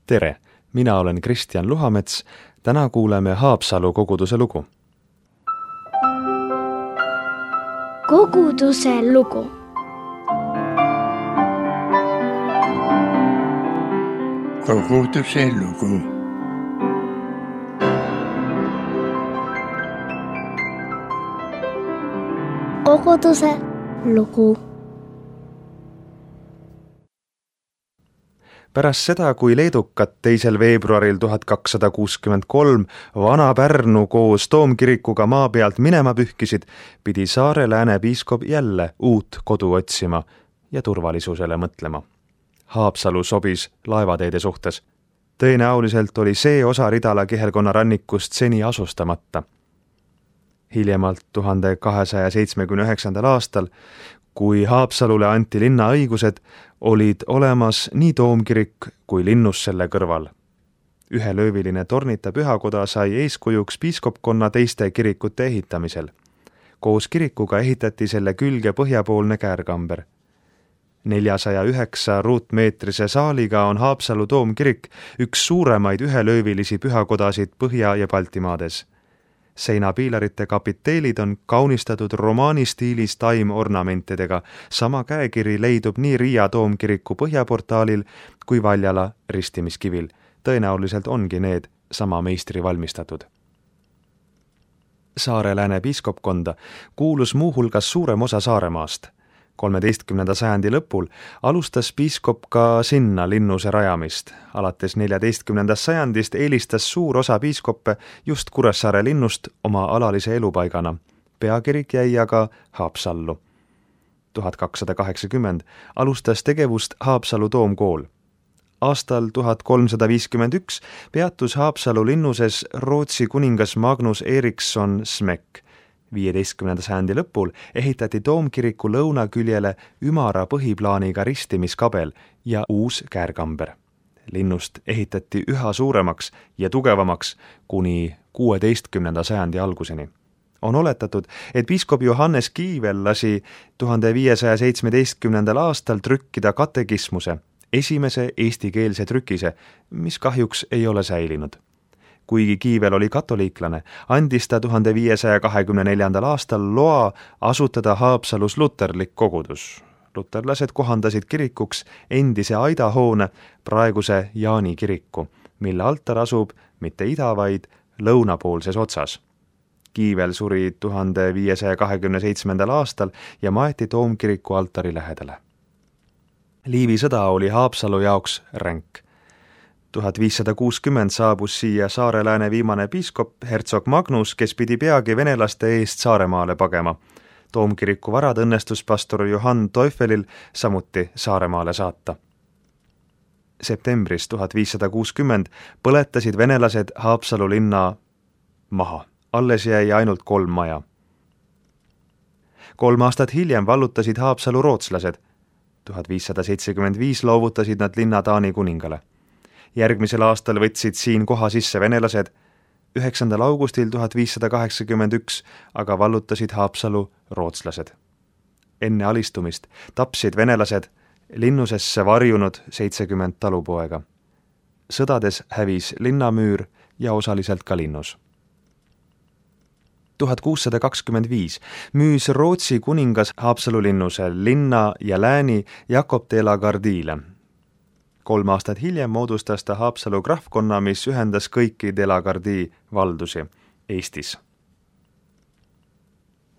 Tere, mina olen Kristjan Luhamets, täna kuuleme Haapsalu koguduse lugu. Koguduse lugu. Koguduse lugu. Koguduse lugu. Pärast seda, kui leedukad 2. veebruaril 1263 Vana-Pärnu koos Toomkirikuga maa pealt minema pühkisid, pidi Saare-Lääne piiskop jälle uut kodu otsima ja turvalisusele mõtlema. Haapsalu sobis laevateede suhtes. Tõenäoliselt oli see osa Ridala kihelkonna rannikust seni asustamata. Hiljemalt 1279. aastal, kui Haapsalule anti linna õigused, olid olemas nii Toomkirik kui linnus selle kõrval. Ühelööviline tornita pühakoda sai eeskujuks piiskopkonna teiste kirikute ehitamisel. Koos kirikuga ehitati selle külge põhjapoolne käärkamber. 409 ruutmeetrise saaliga on Haapsalu Toomkirik üks suuremaid ühelöövilisi pühakodasid Põhja- ja Baltimaades. Seinapiilarite kapiteelid on kaunistatud romaani stiilis taimornamentidega. Sama käekiri leidub nii Riia Toomkiriku põhjaportaalil kui Valjala ristimiskivil. Tõenäoliselt ongi need sama meistri valmistatud. Saare-Lääne piiskopkonda kuulus muuhulgas suurem osa Saaremaast. 13. sajandi lõpul alustas piiskop ka sinna linnuse rajamist. Alates 14. sajandist eelistas suur osa piiskoppe just Kuressaare linnust oma alalise elupaigana. Peakirik jäi aga Haapsallu. 1280 alustas tegevust Haapsalu Toomkool. Aastal 1351 peatus Haapsalu linnuses Rootsi kuningas Magnus Eriksson Smek. 15. sajandi lõpul ehitati Toomkiriku lõunaküljele ümara põhiplaaniga ristimiskabel ja uus käärkamber. Linnust ehitati üha suuremaks ja tugevamaks kuni 16. sajandi alguseni. On oletatud, et piiskop Johannes Kiivel lasi 1517. aastal trükkida katekismuse, esimese eestikeelse trükise, mis kahjuks ei ole säilinud. Kuigi Kiivel oli katoliiklane, andis ta 1524. aastal loa asutada Haapsalus luterlik kogudus. Luterlased kohandasid kirikuks endise aidahoone, praeguse Jaani kiriku, mille altar asub mitte ida, vaid lõunapoolses otsas. Kiivel suri 1527. aastal ja maeti Toomkiriku altari lähedale. Liivi sõda oli Haapsalu jaoks ränk. 1560 saabus siia Saare-Lääne viimane piiskop hertsog Magnus, kes pidi peagi venelaste eest Saaremaale pagema. Toomkiriku varad õnnestus pastor Johann Teufelil samuti Saaremaale saata. Septembris 1560 põletasid venelased Haapsalu linna maha. Alles jäi ainult 3 maja. 3 aastat hiljem vallutasid Haapsalu rootslased. 1575 loovutasid nad linna Taani kuningale. Järgmisel aastal võtsid siin koha sisse venelased. 9. augustil 1581 aga vallutasid Haapsalu rootslased. Enne alistumist tapsid venelased linnusesse varjunud 70 talupoega. Sõdades hävis linnamüür ja osaliselt ka linnus. 1625 müüs Rootsi kuningas Haapsalu linnuse linna ja lääni Jakob de la Gardiile. 3 aastat hiljem moodustas ta Haapsalu krahvkonna, mis ühendas kõiki de la Gardii valdusi Eestis.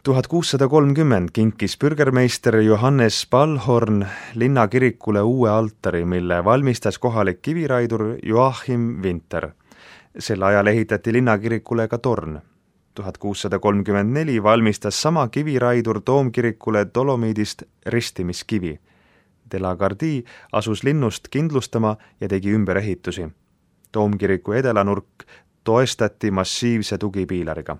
1630 kinkis bürgermeister Johannes Spalhorn linnakirikule uue altari, mille valmistas kohalik kiviraidur Joachim Winter. Sel ajal ehitati linnakirikule ka torn. 1634 valmistas sama kiviraidur Toomkirikule dolomiidist ristimiskivi. De la Gardii asus linnust kindlustama ja tegi ümberehitusi. Toomkiriku edelanurk toestati massiivse tugipiilariga.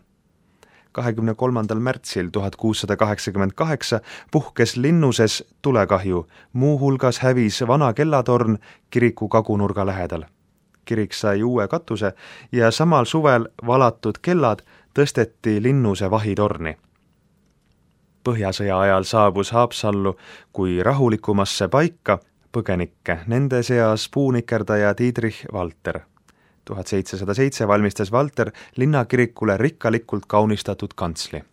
23. märtsil 1688 puhkes linnuses tulekahju, muuhulgas hävis vana kellatorn kiriku kagunurga lähedal. Kirik sai uue katuse ja samal suvel valatud kellad tõsteti linnuse vahitorni. Põhjasõja ajal saabus Haapsallu kui rahulikumasse paika põgenikke, nende seas puunikerdaja Dietrich Walter. 1707 valmistas Walter linnakirikule rikkalikult kaunistatud kantsli.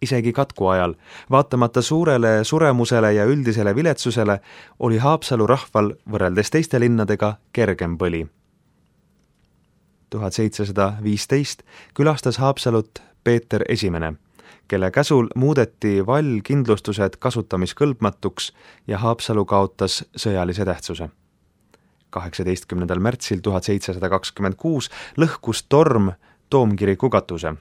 Isegi katku ajal, vaatamata suurele suremusele ja üldisele viletsusele, oli Haapsalu rahval võrreldes teiste linnadega kergem põli. 1715 külastas Haapsalut Peeter I, kelle käsul muudeti vallkindlustused kasutamiskõlbmatuks ja Haapsalu kaotas sõjalise tähtsuse. 18. märtsil 1726 lõhkus torm Toomkiriku katuse.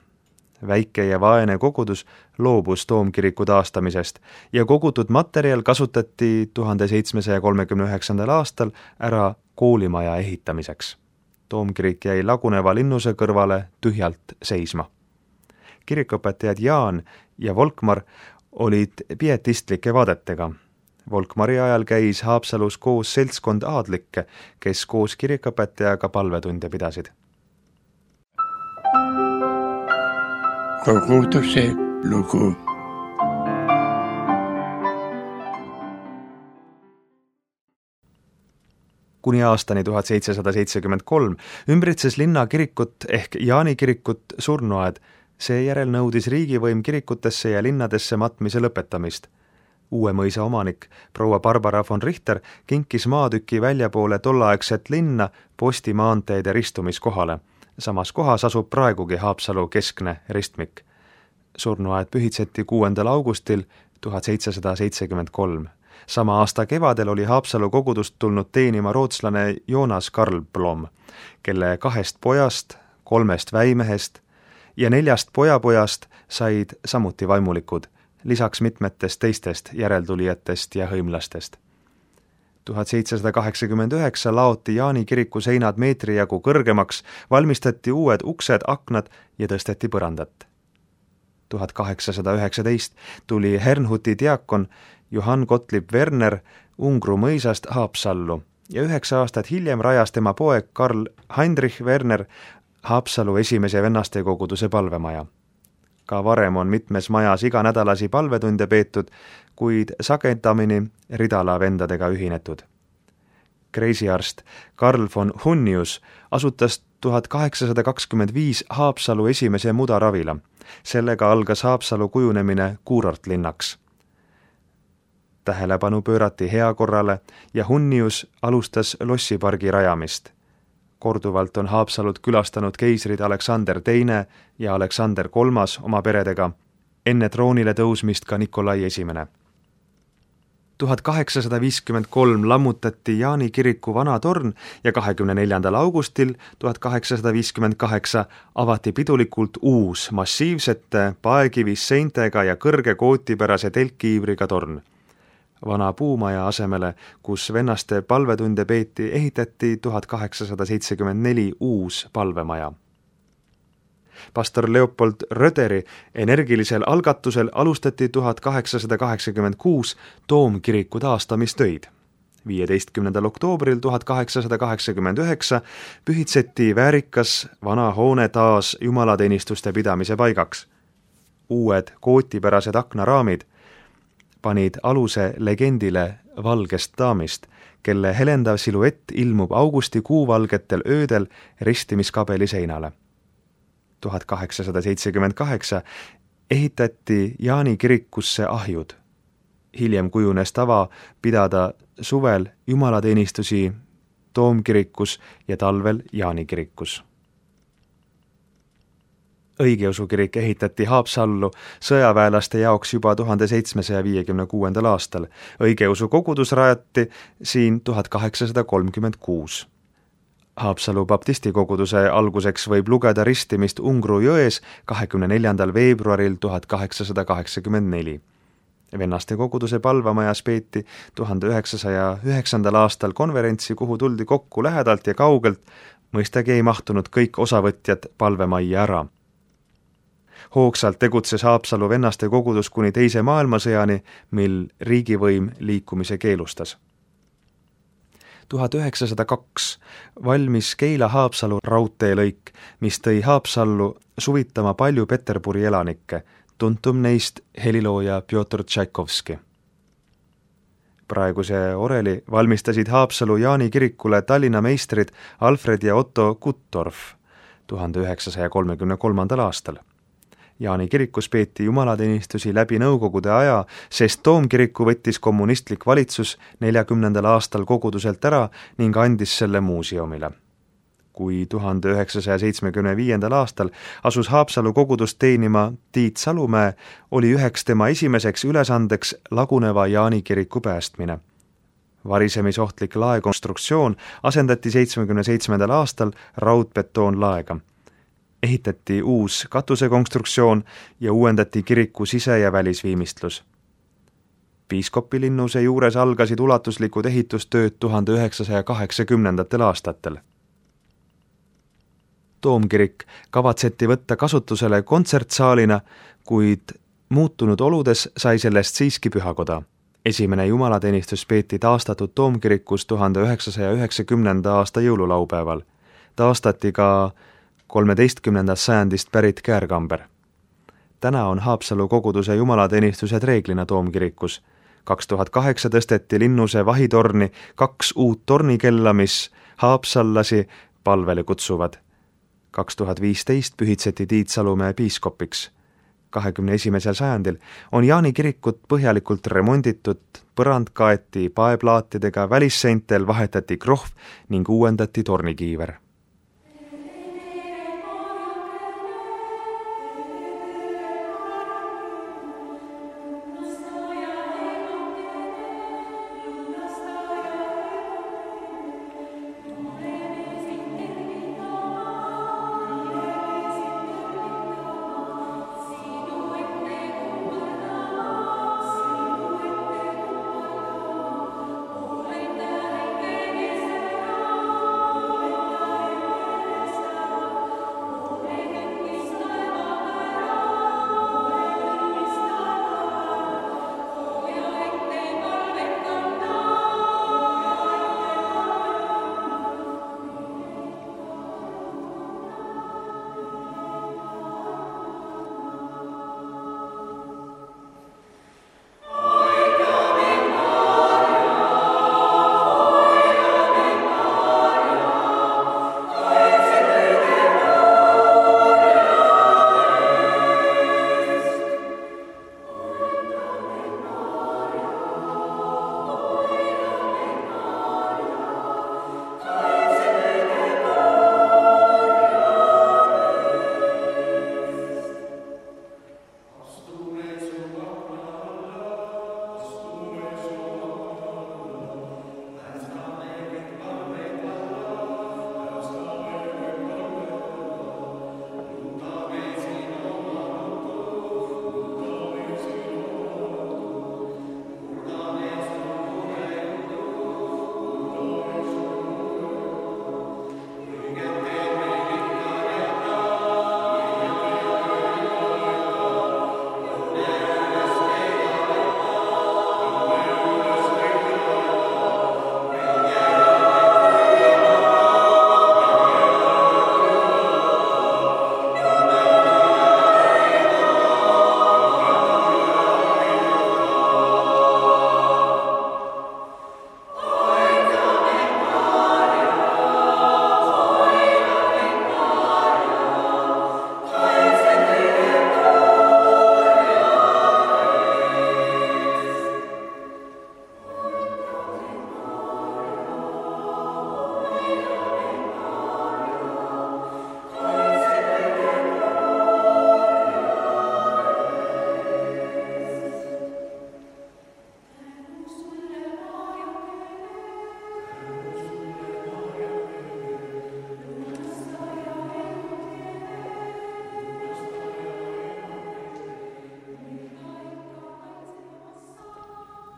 Väike ja vaene kogudus loobus Toomkiriku taastamisest ja kogutud materjal kasutati 1739. aastal ära koolimaja ehitamiseks. Toomkirik jäi laguneva linnuse kõrvale tühjalt seisma. Kirikuõpetajad Jaan ja Volkmar olid pietistlike vaadetega. Volkmari ajal käis Haapsalus koos seltskond aadlikke, kes koos kirikuõpetajaga palvetunde pidasid. Koguduse lugu. Kuni aastani 1773 ümbritses linna kirikut ehk Jaani kirikut surnuaed, seejärel nõudis riigivõim kirikutesse ja linnadesse matmise lõpetamist. Uue mõisa omanik, proua Barbara von Richter, kinkis maatüki väljapoole tolleaegset linna postimaanteede ristumiskohale. Samas kohas asub praegugi Haapsalu keskne ristmik. Surnuaed pühitseti 6. augustil 1773. Sama aasta kevadel oli Haapsalu kogudust tulnud teenima rootslane Jonas Karlblom, kelle 2 pojast, 3 väimehest ja 4 pojapojast said samuti vaimulikud, lisaks mitmetest teistest järeltulijatest ja hõimlastest. 1789 laoti Jaani kiriku seinad meetri jagu kõrgemaks, valmistati uued uksed, aknad ja tõsteti põrandat. 1819 tuli Herrnhuti diakon Johann Gottlieb Werner Ungru mõisast Haapsallu ja 9 aastat hiljem rajas tema poeg Karl Heinrich Werner Haapsalu esimese vennaste koguduse palvemaja. Ka varem on mitmes majas iganädalasi palvetunde peetud, kuid sagedamini Ridala vendadega ühinetud. Kreisiarst Karl von Hunnius asutas 1825 Haapsalu esimese mudaravila. Sellega algas Haapsalu kujunemine kuurortlinnaks. Tähelepanu pöörati heakorrale ja Hunnius alustas lossipargi rajamist. Korduvalt on Haapsalut külastanud keisrid Aleksander II ja Aleksander III oma peredega, enne troonile tõusmist ka Nikolai I. 1853 lammutati Jaani kiriku vana torn ja 24. augustil 1858 avati pidulikult uus massiivsete paekivist seintega ja kõrge kootipärase telkkiivriga torn. Vana puumaja asemele, kus vennaste palvetunde peeti, ehitati 1874 uus palvemaja. Pastor Leopold Röderi energilisel algatusel alustati 1886 Toomkiriku taastamistöid. 15. oktoobril 1889 pühitseti väärikas vana hoone taas jumalateenistuste pidamise paigaks. Uued kootipärased aknaraamid panid aluse legendile valgest daamist, kelle helendav siluett ilmub augustikuuvalgetel öödel ristimiskabeli seinale. 1878 ehitati Jaani kirikusse ahjud. Hiljem kujunes tava pidada suvel jumalateenistusi Toomkirikus ja talvel Jaani kirikus. Õigeusu kirik ehitati Haapsallu sõjaväelaste jaoks juba 1756. aastal. Õigeusu kogudus rajati siin 1836. Haapsalu baptistikoguduse alguseks võib lugeda ristimist Ungru jões 24. veebruaril 1884. Vennaste koguduse palvamajas peeti 1909. aastal konverentsi, kuhu tuldi kokku lähedalt ja kaugelt, mõistagi ei mahtunud kõik osavõtjad palvemajja ära. Hoogsalt tegutses Haapsalu vennaste kogudus kuni teise maailmasõjani, mil riigivõim liikumise keelustas. 1902 valmis Keila-Haapsalu raudteelõik, mis tõi Haapsallu suvitama palju Peterburi elanikke, tuntum neist helilooja Pjotr Tšaikovski. Praeguse oreli valmistasid Haapsalu Jaani kirikule Tallinna meistrid Alfred ja Otto Guttorf 1933. aastal. Jaani kirikus peeti jumalateenistusi läbi nõukogude aja, sest Toomkiriku võttis kommunistlik valitsus 40. aastal koguduselt ära ning andis selle muuseumile. Kui 1975. aastal asus Haapsalu kogudust teenima Tiit Salumäe, oli üheks tema esimeseks ülesandeks laguneva Jaani kiriku päästmine. Varisemisohtlik laekonstruktsioon asendati 1977. aastal raudbetoonlaega. Ehitati uus katusekonstruktsioon ja uuendati kiriku sise- ja välisviimistlus. Piiskopilinnuse juures algasid ulatuslikud ehitustööd 1980. aastatel. Toomkirik kavatseti võtta kasutusele kontsertsaalina, kuid muutunud oludes sai sellest siiski pühakoda. Esimene jumalateenistus peeti taastatud Toomkirikus 1990. aasta jõululaupäeval. Taastati ka 13. sajandist pärit käärkamber. Täna on Haapsalu koguduse jumalateenistused reeglina Toomkirikus. 2008 tõsteti linnuse vahitorni 2 uut tornikella, mis haapsallasi palvele kutsuvad. 2015 pühitseti Tiit Salumäe piiskopiks. 21. sajandil on Jaani kirikut põhjalikult remonditud, põrand kaeti paeplaatidega, välisseintel vahetati krohv ning uuendati tornikiiver.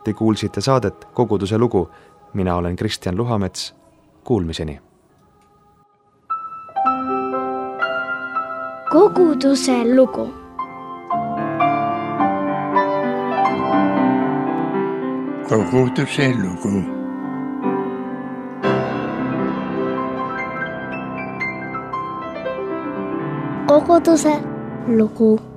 Te kuulsite saadet Koguduse lugu. Mina olen Kristjan Luhamets. Kuulmiseni. Koguduse lugu. Koguduse lugu. Koguduse lugu.